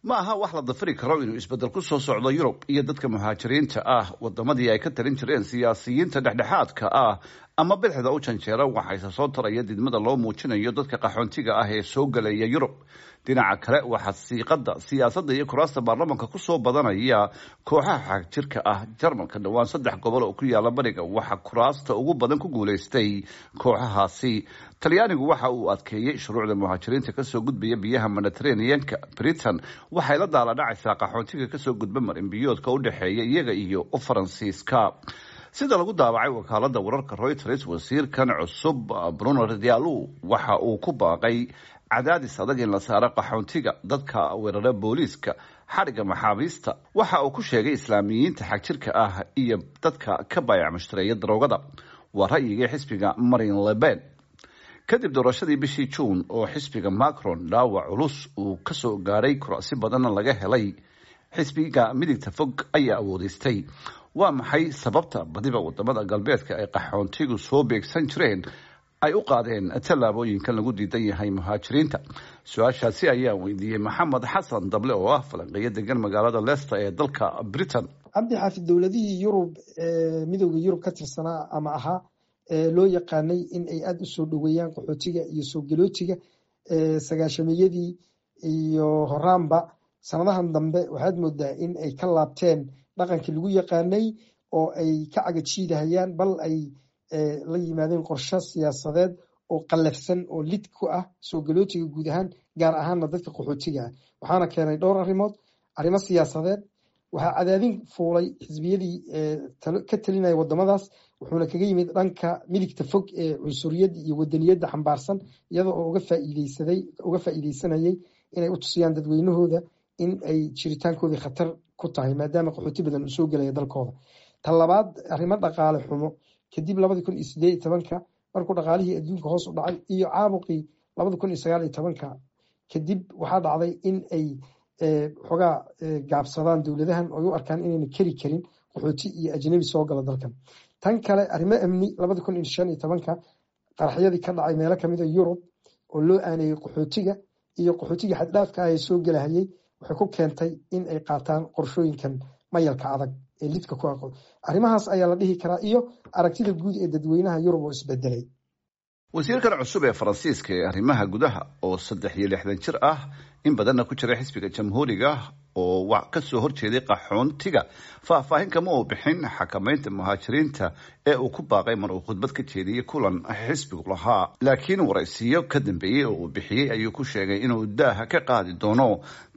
Ma aha wax la dafiri karo inuu isbeddel ku soo socdo Yurub iyo dadka muhaajiriinta ah. Wadamadii ay ka talin jireen siyaasiyiinta dhexdhexaadka ah ama bidixda u janjeera waxayse soo taraya didmada loo muujinayo dadka qaxoontiga ah ee soo gelaya Yurub. Dhinaca kale, waxaa siiqada siyaasadda iyo kuraasta baarlamanka kusoo badanaya kooxaha xagjirka ah. Jarmalka dhowaan saddex gobol oo ku yaala bariga waxaa kuraasta ugu badan ku guuleystay kooxahaasi. Talyaanigu waxa uu adkeeyey shuruucda muhaajiriinta kasoo gudbaya biyaha Mediterraneanka. Britain waxay la daaladhacaysaa qaxoontiga kasoo gudba marinbiyoodka u dhexeeya iyaga iyo Faransiiska. Sida lagu daabacay wakaalada wararka Reuters, wasiirkan cusub Bruno Retailleau waxa uu ku baaqay cadaadis adag in la saaro qaxoontiga, dadka weerara booliiska, xadhigga maxaabiista, waxa uu ku sheegay Islaamiyiinta xagjirka ah iyo dadka ka baayac mushtareeya daroogada. Waa ra'yigii xisbiga Marine Le Pen. Kadib doorashadii bishii Juun oo xisbiga Macron dhaawac culus uu kasoo gaaray, kuraasi badanna laga helay, xisbiga midigta fog ayaa awoodeystay. Waa maxay sababta badiba wadamada galbeedka ay qaxoontigu soo beegsan jireen ay u qaadeen tallaabooyinkan lagu diidan yahay muhaajiriinta? Su-aashaasi ayaa weydiiyey Maxamed Xasan Dable oo ah falanqeeyo degan magaalada Leicester ee dalka Britain. Cabdi Xaafid, dowladihii Yurub ee Midowda Yurub ka tirsanaa ama ahaa ee loo yaqaanay in ay aada u soo dhoweeyaan qaxootiga iyo soo galootiga sagaashameyadii iyo horaanba, sanadahan dambe waxaad moodaa in ay ka laabteen dhaqankii lagu yaqaanay oo ay ka cagajiidahayaan, bal ay la yimaadeen qorshe siyaasadeed oo qallafsan oo lid ku ah soo galootiga guud ahaan, gaar ahaanna dadka qaxootiga ah. Waxaana keenay dhowr arrimood. Arrimo siyaasadeed: waxaa cadaadin fuulay xisbiyadii ka talinaya wadamadaas, wuxuuna kaga yimid dhanka midigta fog ee cunsuriyadda iyo wadaniyadda xambaarsan, iyada oo uga faa'iideysanayay inay u tusiyaan dadweynahooda in ay jiritaankoodii khatar ku tahay, maadaama qaxooti badan uu soo gelaya dalkooda. Ta labaad, arrimo dhaqaale xumo. Kadib 2018-ka markuu dhaqaalihii adduunka hoos u dhacay iyo caabuqii 2019-ka kadib, waxaa dhacday in ay xoogaa gaabsadaan dowladahan oo ay u arkaan inayna keri karin qaxooti iyo ajnabi soo gala dalkan. Tan kale, arrimo amni: 2015-ka qaraxyadii ka dhacay meelo kamid a Yurub oo loo aaneeyey qaxootiga iyo qaxootiga xaddhaafka ah ee soo gelahayay waxay ku keentay in ay qaataan qorshooyinkan mayalka adag ee lidka ku aqo. Arrimahaas ayaa la dhihi karaa, iyo aragtida guud ee dadweynaha Yurub oo isbedelay. Wasiirkan cusub ee Faransiiska ee arrimaha gudaha oo 63 jir ah, in badanna ku jira xisbiga Jamhuuriga oo kasoo horjeeday qaxoontiga, faahfaahin kama uu bixin xakameynta muhaajiriinta ee uu ku baaqay mar uu khudbad ka jeediyey kulan xisbigu lahaa. Laakiin waraysiyo ka dambeeyey oo uu bixiyey ayuu ku sheegay inuu daaha ka qaadi doono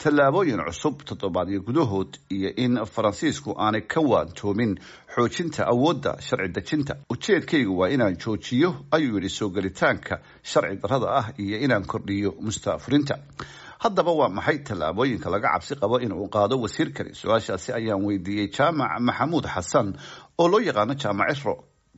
tallaabooyin cusub toddobaadyo gudahood iyo in Faransiisku aanay ka waantoomin xoojinta awoodda sharci dejinta. "Ujeedkaygu waa inaan joojiyo," ayuu yidhi, "soo gelitaanka sharci darrada ah iyo inaan kordhiyo mustaafurinta." Haddaba waa maxay tallaabooyinka laga cabsi qabo in uu qaado wasiirkani? Su-aashaasi ayaan weydiiyey Jaamac Maxamuud Xasan oo loo yaqaano Jaamac Ciro,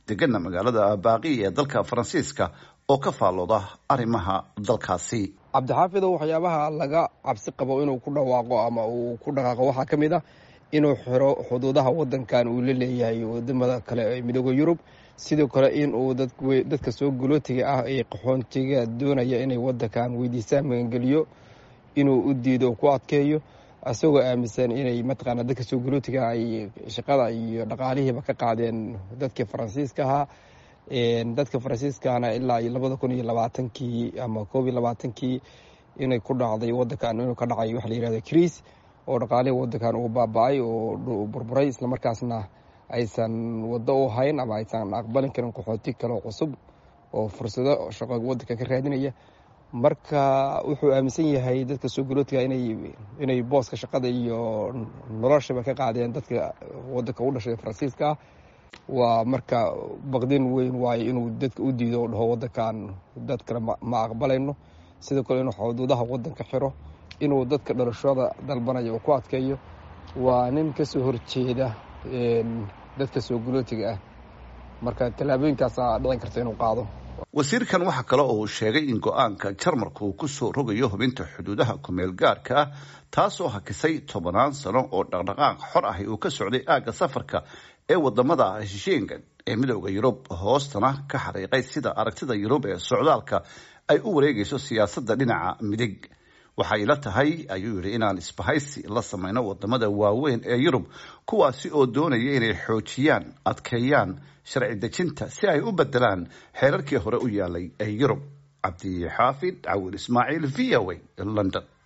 degana magaalada Baaqi ee dalka Faransiiska oo ka faallooda arrimaha dalkaasi. Cabdixaafidow, waxyaabaha laga cabsi qabo inuu ku dhawaaqo ama uu ku dhaqaaqo waxaa ka mid ah inuu xiro xuduudaha wadankan uu la leeyahay wadamada kale ee Midooda Yurub. Sidoo kale in uu dadka soo galootiga ah ee qaxoontiga doonaya inay wadankan weydiistaan magangeliyo inuu u diido, ku adkeeyo, isagoo aaminsan inay mataqaana dadka soo galootiga ay shaqada iyo dhaqaalihiiba ka qaadeen dadkii Faransiiska ahaa. Dadka Faransiiskana ilaa iyo 2020-kii ama 21-kii inay ku dhacday wadankan, inuu ka dhacay waxa la yihahdo crise oo dhaqaalihii wadankan uu baaba-ay oo burburay, islamarkaasna aysan waddo u hayn ama aysan aqbalin karin qaxooti kaleo cusub oo fursado shaqo wadanka ka raadinaya. Marka wuxuu aaminsan yahay dadka soo galootiga inay booska shaqada iyo noloshaba ka qaadeen dadka wadanka u dhashay Faransiiska ah. Waa marka baqdin weyn waayo inuu dadka u diido o dhaho wadankan dad kale ma aqbalayno. Sidoo kale inuu xuduudaha wadanka xiro, inuu dadka dhalashada dalbanaya uu ku adkeeyo. Waa nin kasoo horjeeda dadka soo galootiga ah, marka tallaabooyinkaasaa dhicin karta inuu qaado. Wasiirkan waxaa kale oo uu sheegay in go-aanka Jarmalku uu kusoo rogayo hubinta xuduudaha kumeel gaarka ah, taasoo hakisay tobanaan sano oo dhaqdhaqaaq xor ahi uu ka socday aagga safarka ee wadamada Schengen ee Midooda Yurub, hoostana ka xariiqay sida aragtida Yurub ee socdaalka ay u wareegayso siyaasadda dhinaca midig. Waxay ila tahay, ayuu yidhi, inaan isbahaysi la samayno wadamada waaweyn ee Yurub, kuwaasi oo doonaya inay xoojiyaan, adkeeyaan sharci dejinta si ay u bedelaan xeerarkii hore u yaalay ee Yurub. Cabdixaafid Cawil Ismaaciil, VOA, London.